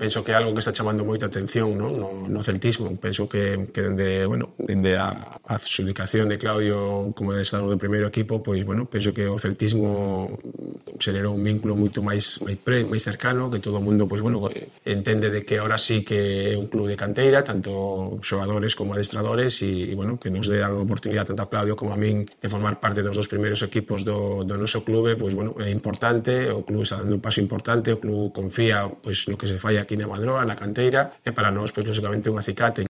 penso que é algo que está chamando moita atención, non? No celtismo. Penso que dende a adxudicación de Claudio como adestrador do primeiro equipo, pois, penso que o celtismo xerou un vínculo moito máis cercano, que todo o mundo, pois, entende de que ahora sí que é un club de canteira, tanto xogadores como adestradores, e que nos dé a oportunidade tanto a Claudio como a min de formar parte dos 2 primeiros equipos do noso clube, pois, é importante, o club está dando un paso importante, o club confía, pois, no que se fai aquí na Madroa, na canteira, e para nós, pois, lógicamente, un acicate.